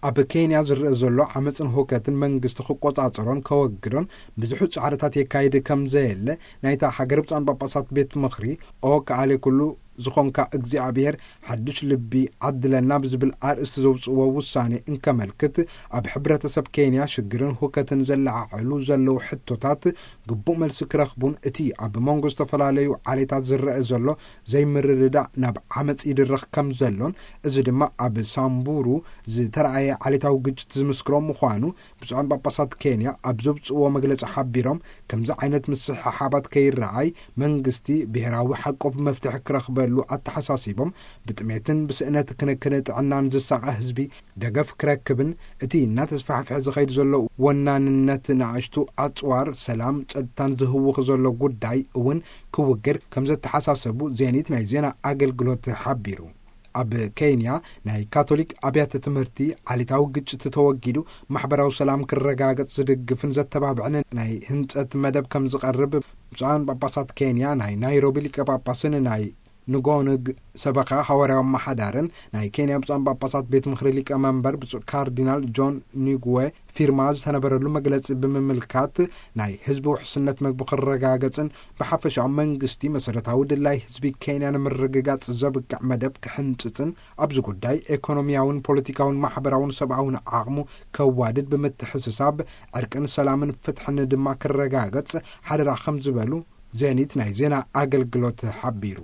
ኣብ ኬንያ ዝረኣ ዘሎ ዓመፅን ሁከትን መንግስቲ ክቆፃፀሮን ከወግዶን ብዙሕ ፃዕርታት የካይድ ከም ዘየለ ናይታ ሃገር ብፁዓን ጳጳሳት ቤት ምኽሪ ኦ ከኣለ ኩሉ ዝኾንካ እግዚኣብሔር ሓድሽ ልቢ ዓድለና ብዝብል ኣርእስቲ ዘውፅዎ ውሳኔ እንከመልክት፣ ኣብ ሕብረተሰብ ኬንያ ሽግርን ሁከትን ዘለዓዕሉ ዘለዉ ሕቶታት ግቡእ መልሲ ክረኽቡን እቲ ኣብ መንጎ ዝተፈላለዩ ዓሌታት ዝረአ ዘሎ ዘይምርድዳእ ናብ ዓመፅ ይድረኽ ከም ዘሎን፣ እዚ ድማ ኣብ ሳምቡሩ ዝተረኣየ ዓሌታዊ ግጭት ዝምስክሮ ምዃኑ ብፁዓን ጳጳሳት ኬንያ ኣብ ዘውፅእዎ መግለፂ ሓቢሮም፣ ከምዚ ዓይነት ምስሕሓባት ከይረኣይ መንግስቲ ብሄራዊ ሓቆፍ መፍትሒ ክረኽበሉ ኣተሓሳሲቦም፣ ብጥሜትን ብስእነት ክንክን ጥዕናን ዝሳቐ ህዝቢ ደገፍ ክረክብን እቲ እናተስፋሕፍሐ ዝኸይድ ዘሎ ወናንነት ንኣሽቱ ኣፅዋር ሰላም ጸጥታን ዝህውኽ ዘሎ ጉዳይ እውን ክውገድ ከም ዘተሓሳሰቡ ዜኒት ናይ ዜና ኣገልግሎት ሓቢሩ። ኣብ ኬንያ ናይ ካቶሊክ ኣብያተ ትምህርቲ ዓሌታዊ ግጭት ተወጊዱ ማሕበራዊ ሰላም ክረጋገጽ ዝድግፍን ዘተባብዕን ናይ ህንጸት መደብ ከም ዝቐርብ ብፁዓን ጳጳሳት ኬንያ ናይ ናይሮቢ ሊቀ ጳጳስን ናይ ንጎንግ ሰበኻ ሃዋርያዊ ኣመሓዳርን ናይ ኬንያ ብፁዓን ጳጳሳት ቤት ምኽሪ ሊቀ መንበር ብፁዕ ካርዲናል ጆን ኒጉዌ ፊርማ ዝተነበረሉ መግለጺ ብምምልካት፣ ናይ ህዝቢ ውሕስነት መግቢ ክረጋገጽን ብሓፈሻዊ መንግስቲ መሰረታዊ ድላይ ህዝቢ ኬንያ ንምርግጋጽ ዘብቅዕ መደብ ክሕንጽጽን ኣብዚ ጉዳይ ኤኮኖሚያውን ፖለቲካውን ማሕበራውን ሰብኣውን ዓቕሙ ከዋድድ ብምትሕስሳብ ዕርቅን ሰላምን ፍትሕን ድማ ክረጋገጽ ሓደራ ከም ዝበሉ ዜኒት ናይ ዜና ኣገልግሎት ሓቢሩ።